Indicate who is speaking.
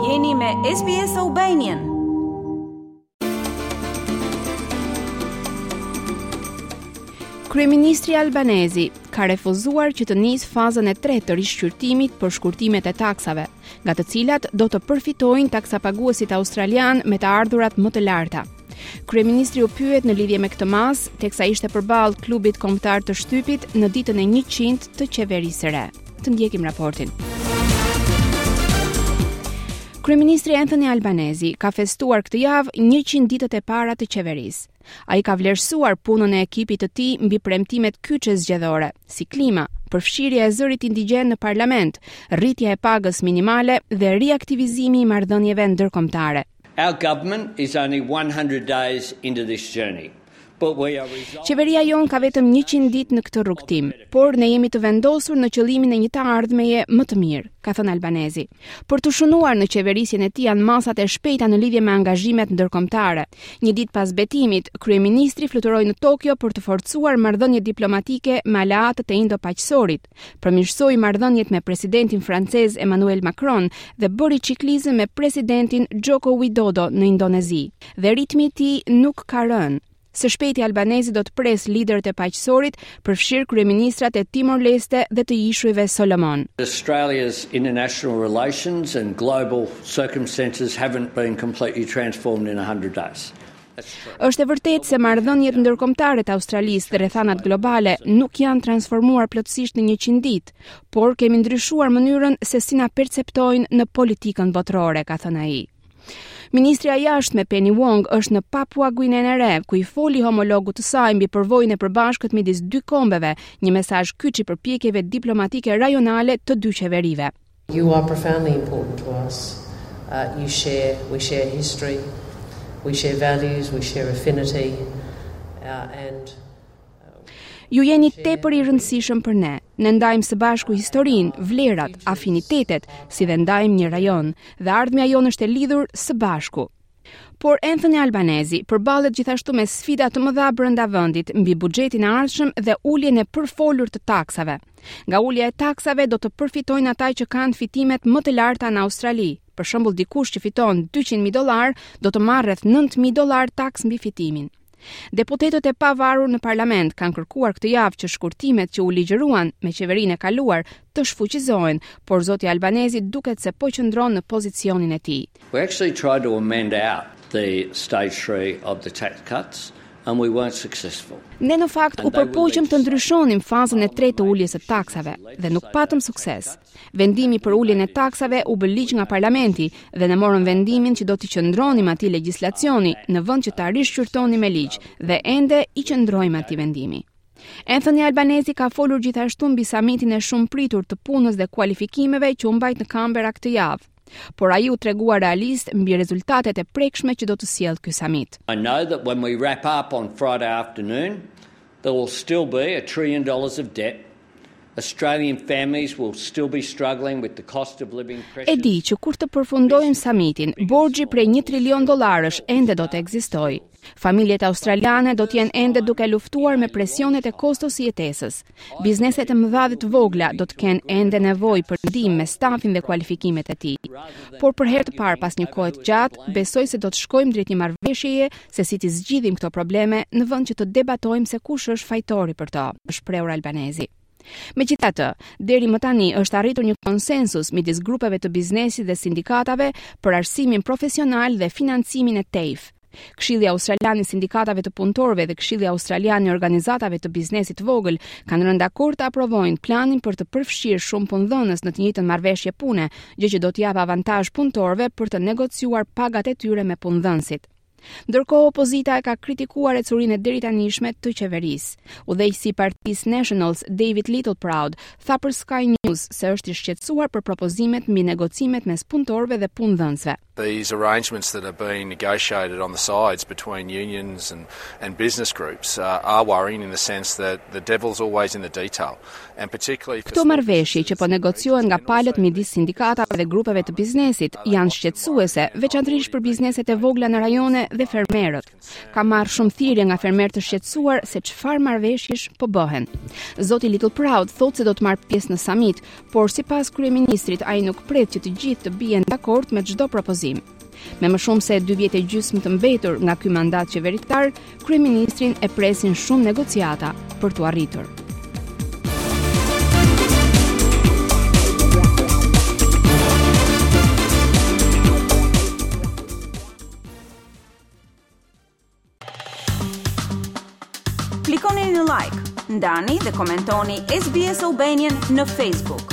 Speaker 1: Jeni me SBS Albanian.
Speaker 2: Kryeministri Albanese ka refuzuar që të nisë fazën e tretë të rishqyrtimit për shkurtimet e taksave, nga të cilat do të përfitojnë taksapaguesit australianë me të ardhurat më të larta. Kryeministri u pyet në lidhje me këtë masë, teksa ishte përballë klubit kombëtar të shtypit në ditën e 100 të qeverisë së re. Të ndjekim raportin. Kryeministri Anthony Albanese ka festuar këtë javë 100 ditët e para të qeverisë. Ai ka vlerësuar punën e ekipit të tij mbi premtimet kyçe zgjedhore, si klima, përfshirja e zërit indigjen në parlament, rritja e pagës minimale dhe riaktivizimi i marrëdhënieve ndërkombëtare.
Speaker 3: Our government is only 100 days into this journey.
Speaker 2: Qeveria jonë ka vetëm 100 ditë në këtë rrugëtim, por ne jemi të vendosur në qëllimin e një të ardhmeje më të mirë, ka thënë Albanese. Për t'u shënuar në qeverisjen e tij janë masat e shpejta në lidhje me angazhimet ndërkombëtare. Një ditë pas betimit, kryeministri fluturoi në Tokio për të forcuar marrëdhëniet diplomatike me aleatët e Indo-Paqësorit. përmirësoi marrëdhëniet me presidentin francez Emmanuel Macron dhe bëri çiklizëm me presidentin Joko Widodo në Indonezi. Dhe ritmi i tij nuk ka rënë. Së shpejti Albanese do të presë liderët e paqësorit, përfshirë kryeministrat e Timor Leste dhe të Ishujve Solomon.
Speaker 3: Australia's international relations and global circumstances haven't been completely transformed in 100 days.
Speaker 2: Është e vërtetë se marrëdhëniet ndërkombëtare të Australisë dhe rrethanat globale nuk janë transformuar plotësisht në 100 ditë, por kemi ndryshuar mënyrën se si na perceptojnë në politikën botërore, ka thënë ai. Ministrja e Jashtme Penny Wong është në Papua Guinenë e Re, ku i foli homologut të saj mbi përvojën e përbashkët midis dy kombeve, një mesazh kyç i përpjekjeve diplomatike rajonale të dy qeverive.
Speaker 4: You are profoundly important to us. Uh, you share, we share history, we share values, we share affinity, uh, and
Speaker 2: uh, Ju jeni tepër i rëndësishëm për ne. Ne ndajmë së bashku historinë, vlerat, afinitetet, si dhe ndajmë një rajon, dhe ardhmja jonë është e lidhur së bashku. Por Anthony Albanese përballet gjithashtu me sfida të mëdha brenda vendit mbi buxhetin e ardhshëm dhe uljen e përfolur të taksave. Nga ulja e taksave do të përfitojnë ata që kanë fitimet më të larta në Australi. Për shembull, dikush që fiton 200.000 dollarë do të marrë rreth 9.000 dollarë taksë mbi fitimin. Deputetët e pavarur në parlament kanë kërkuar këtë javë që shkurtimet që u ligjëruan me qeverinë e kaluar të shfuqizohen, por zoti Albanese duket se po qëndron në pozicionin e
Speaker 3: tij. We actually tried to amend out the stage 3 of the tax cuts and we weren't successful.
Speaker 2: Ne në fakt u përpoqëm të ndryshonim fazën e tretë të uljes së taksave dhe nuk patëm sukses. Vendimi për uljen e taksave u bë ligj nga parlamenti dhe ne morëm vendimin që do t'i qëndronim atij legjislacioni në vend që ta rishqyrtonim me ligj dhe ende i qëndrojmë atij vendimi. Anthony Albanese ka folur gjithashtu mbi samitin e shumëpritur të punës dhe kualifikimeve që u mbajt në Canberra këtë javë. Por ai u tregua realist mbi rezultatet e prekshme që do të sjellë ky
Speaker 3: samit. I know that when we wrap up on Friday afternoon, there will still be a trillion dollars of debt Australian families will still be struggling with the cost of living
Speaker 2: pressures. E di që kur të përfundojmë samitin, borxhi prej 1 trilion dollarësh ende do të ekzistojë. Familjet australiane do të jenë ende duke luftuar me presionet e kostos së jetesës. Bizneset e mëdha dhe të vogla do të kenë ende nevojë për ndihmë me stafin dhe kualifikimet e tij. Por për herë të parë pas një kohe të gjatë, besoj se do të shkojmë drejt një marrëveshjeje se si t'i zgjidhim këto probleme në vend që të debatojmë se kush është fajtori për to, është shprehur Albanese. Megjithatë, deri më tani është arritur një konsensus midis grupeve të biznesit dhe sindikatave për arsimin profesional dhe financimin e TAFE. Këshilli Australian i Sindikatave të Punëtorëve dhe Këshilli Australian i Organizatave të Biznesit të Vogël kanë rënë dakord të aprovojnë planin për të përfshirë shumë punëdhënës në të njëjtën marrëveshje pune, gjë që do t'i japë avantazh punëtorëve për të negociuar pagat e tyre me punëdhënësit. Ndërkohë opozita e ka kritikuar ecurinë e deritanishme të qeverisë. Udhëheqësi i partisë Nationals, David Littleproud, tha për Sky News se është i shqetësuar për propozimet mbi negocimet mes punëtorëve dhe punëdhënësve.
Speaker 5: These arrangements that are being negotiated on the sides between unions and, and business groups uh, are worrying in the sense that the devil's always in the detail and particularly
Speaker 2: for Këto marrëveshje që po negociohen nga palët midis sindikatave dhe grupeve të biznesit janë shqetësuese, veçanërisht për bizneset e vogla në rajone dhe fermerët. Kam marrë shumë thirrje nga fermerë të shqetësuar se çfarë marrëveshjesh po bëhen. Zoti Littleproud thotë se do të marrë pjesë në samit, por sipas kryeministrit ai nuk pret që të gjithë të bien dakord me çdo propozim. Me më shumë se dy vjet e gjysmë të mbetur nga ky mandat qeveritar, kryeministrin e presin shumë negociata për t'u arritur.
Speaker 1: Klikoni në like, ndani dhe komentoni SBS Albanian në Facebook.